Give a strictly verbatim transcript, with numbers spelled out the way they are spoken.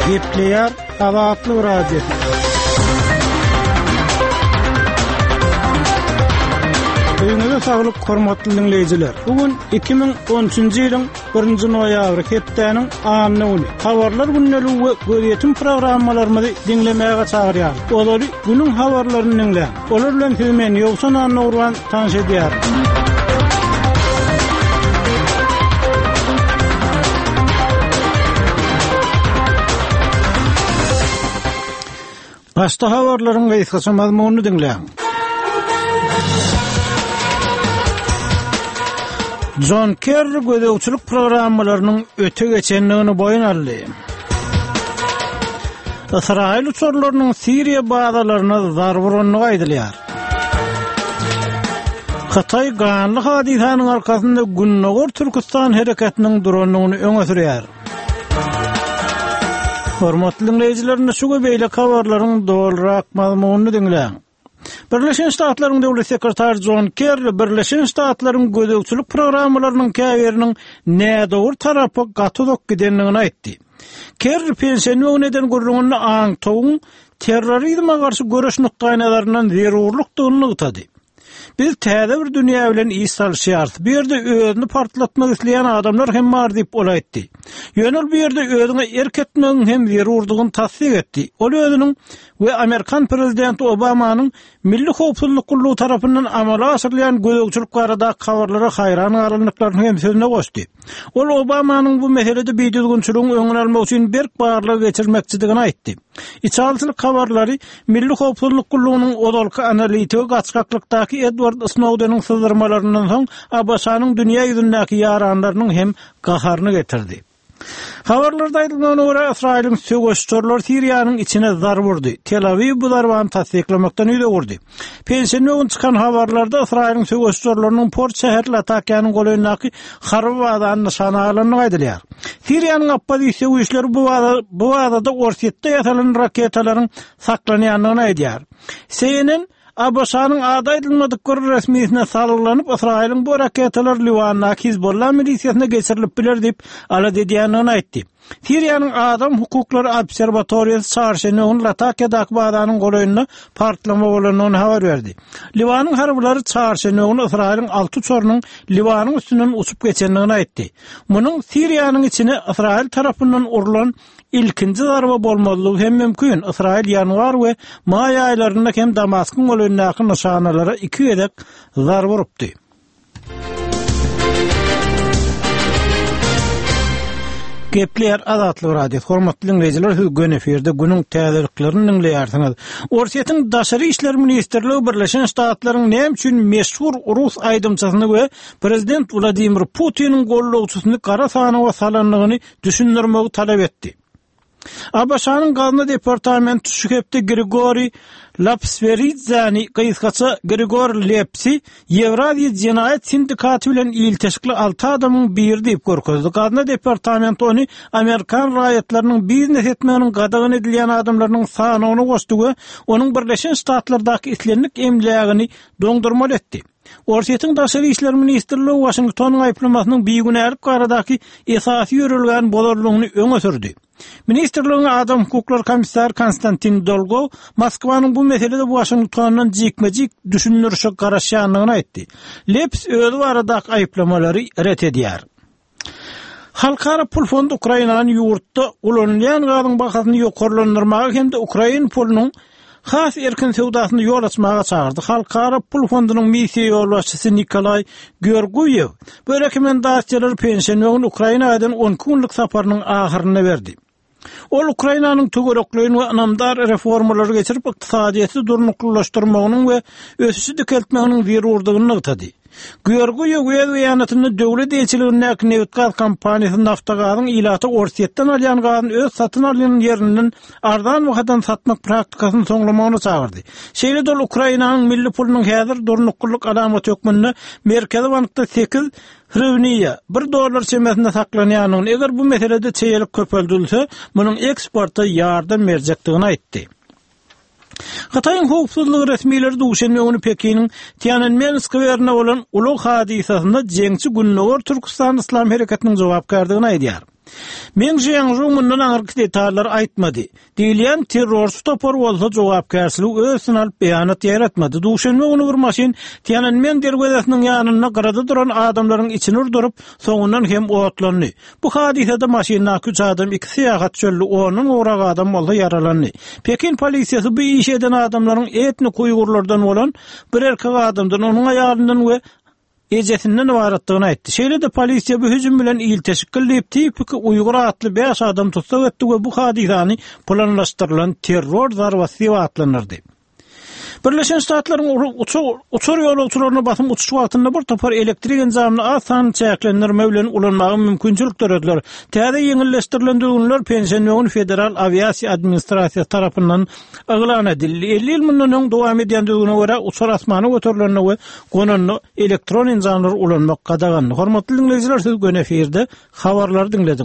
Gepleýär Azatlyk Radiosy. Öýüňize saglyk, hormatly diňleýjiler. Bu gün iki müň on üçünji ýylyň birinji noýabry, hepdäniň anna güni. Habarlar gündeligi we gözýetim programmalarymyzy diňlemäge çagyrýarys. Ozaly günüň habarlaryny diňläň. Olar bilen sizi men Ýowşan Annagurban tanyş edýärin. Başda habarlaryň gysgaça mazmunyny diňläň. Jon Kerri gözegçilik programmalarynyň öte geçendigini boýun aldy. Ysraýyl uçarlarynyň Siriýa bazalaryna zarba urandygy aýdylýar. Hytaý ganly hadysanyň arkasynda Gündogar Türküstan hereketiniň durandygyny öňe sürýär. Hormatly diňleýjiler, indi şu we beýleki habarlaryň dolurak mazmunyny diňläň. Birleşen Ştatlaryň Döwlet sekretary Jon Kerri Birleşen Ştatlaryň gözegçilik programmalarynyň käbiriniň nädogry tarapa gaty uzak gidendigini aýtdy. Kerri penşenbe güni eden gürrüňinde aňtawuň terrorizme garşy göreş nukdaýnazaryndan zerurlykdygyny nygtady. Biz täze bir dünýä bilen iş salyşýarys. Bu ýerde özüni partlatmak isleýän adamlar hem bar diýip ol aýtdy. Ýöne ol bu ýerde özüňe erk etmegiň hem zerurdygyny tassyk etdi. Ol özüniň we amerikan prezidenti Obamanyň Milli howpsuzlyk gullugy tarapyndan amala aşyrylýan gözegçilik baradaky habarlara haýran galandyklaryny hem sözüne goşdy. Ol Obamanyň bu meselede bidüzgünçiligiň öňüni almak üçin berk barlag geçirmekçidigini aýtdy. Içalyçylyk habarlary Milli howpsuzlyk gullugynyň ozalky analitigi gaçgaklykdaky Edward Snowdeniň syzdyrmalaryndan soň A B Ş-nyň dünýä ýüzündäki ýaranlarynyň hem gaharyny getirdi. Habarlarda aýdylmagyna görä, Ysraýylyň söweş uçarlary Siriýanyň içine zarba urdy. Tel-Awiw bu zarbany tassyklamakdan ýüz öwürdi. Penşenbe güni çykan habarlarda Ysraýylyň söweş uçarlarynyň port şäheri Latakiýanyň golaýyndaky harby bazany nyşana alandygy aýdylýar. Siriýanyň oppozisiýa güýçleri bu baza, bu bazada Orsýetde ýasalan raketalaryň saklanýandygyny aýdýar. C N N A B Ş-nyň ady aýdylmadyk bir resmisine salgylanyp, Ysraýylyň bu raketalar Liwandaky Hizbollah milisiýasyna geçirilip biler diýip alada edýändigini aýtdy. Siriýanyň Adam hukuklary obserwatoriýasy çarşenbe güni Latakiýadaky bazanyň golaýynda partlama bolandygyny habar berdi. Liwanyň harbylary çarşenbe güni Ysraýylyň alty uçarynyň Liwanyň üstünden uçup geçendigini aýtdy. Munuň Siriýanyň içine Ysraýyl tarapyndan urlan ilkinji zarba bolmazlygy hem mümkin. Ysraýyl ýanwar we maý aýlarynda hem Damaskyň golaýyndaky nyşanalara iki gezek zarba urupdy. Gepleýär Azatlyk Radiosy. Hormatly diňleýjiler, siz göni efirde günüň täzeliklerini diňleýärsiňiz. Orsýetiň Daşary işler ministrligi Birleşen Ştatlaryň näme üçin meşhur rus aýdymçysyny we prezident Wladimir Putiniň gollagçysyny gara sanawa salandygyny düşündirmegi talap etdi. A B Ş-nyň Gazna departamenti şu hepde Grigoriý Lapsweridzäni, gysgaça Grigor Lepsi, Ýewraziýa jenaýat sindikaty bilen ilteşikli alty adamyň biri diýip görkezdi. Gazna departamenti ony amerikan raýatlarynyň biznes etmeginiň gadagan edilýän adamlarynyň sanawyna goşdy we onuň Birleşen Ştatlardaky islendik emlägini doňdurmaly etdi. Orsýetiň Daşary işler ministrligi Waşingtonyň aýyplamasynyň bigünälik baradaky esasy ýörelgäni bozandygyny öňe sürdi. Ministrligiň Adam hukuklary komissary Konstantin Dolgow Moskwanyň bu meselede Waşingtondan jikme-jik düşündirişe garaşýandygyny aýtdy. Leps özi baradaky aýyplamalary ret edýär. Halkara pul fondy Ukrainanyň ýurtda ulanylýan gazyň bahasyny ýokarlandyrmaga hem-de ukrain pulunyň has erkin söwdasyny ýol açmaga çagyrdy. Halkara pul fondunyň missiýa ýolbaşçysy Nikolaý Georgiýew bu rekomendasiýalary penşenbe güni Ukraina eden on iki günlük saparynyň ahyrynda berdi. Ol Ukrainanyň töwerekleýin we ynamdar reformalary geçirip, ykdysadyýeti durnuklylaşdyrmagynyň we ösüşi dikeltmeginiň zerurdygyny nygtady. Georgiýew öz beýanatynda döwlet eýeçiligindäki nebitgaz kompaniýasy Naftagazyň ilata Orsýetden alýan gazyny öz satyn alýan ýerinden arzan bahadan satmak praktikasyny soňlamagyny çagyrdy. Şeýle-de ol Ukrainanyň milli pulunyň häzir durnuklylyk alamaty hökmünde Merkezi bankda sekiz hriwniýa bir dollar çemesinde saklanýandygyny, eger bu meselede çeýelik köpeldilse, munuň eksporta ýardam berjekdigini aýtdy. Hytaýyň howpsuzlyk resmileri duşenbe güni Pekiniň Tiananmen skwerinde bolan ulag hadysasynda jeňçi Gündogar Türküstan Yslam hereketiniň jogapkärdigini aýdýar. Meng Jianzhu mundan aňyrky detallary aýtmady. Diýilýän terrorçy topar bolsa jogapkärçiligi öz üstüne alyp beýanat ýaýratmady. Duşenbe güni bir maşyn Tiananmen derwezesiniň ýanynda gyrada duran adamlaryň içini urduryp, soňundan hem otlandy. Bu hadysada maşyndaky üç adam, iki syýahatçy öldi, ondan gowrak adam bolsa ýaralandy. Pekin polisiýasy bu işi eden adamlaryň etnik uýgurlardan bolan bir erkek adamdan, onuň aýalyndan we ejesinden ybaratdygyny aýtdy. Şeýle-de polisiýa bu hüjüm bilen ilteşikli diýip, tipiki uýgur atly bäş adam tussag etdi we bu hadysany planlaşdyrylan terror zarbasy diýip atlandyrdy. Birleşen Ştatlaryň uçar ýolagçylaryna basym uçuş wagtynda bir topar elektrik enjamyny az sanly çäklendirme bilen ulanmaga mümkinçilik dörediler. Täze ýeňilleşdirilen düzgünler penşenbe güni Federal awiasiýa administrasiýasy tarapyndan yglan edildi. Elli ýyl mundan öň dowam edýän düzgüne görä, uçar asmana göterilende we gonanda elektron enjamlary ulanmak gadagandy. Hormatly diňleýjiler, siz göni efirde habarlary diňlediňiz.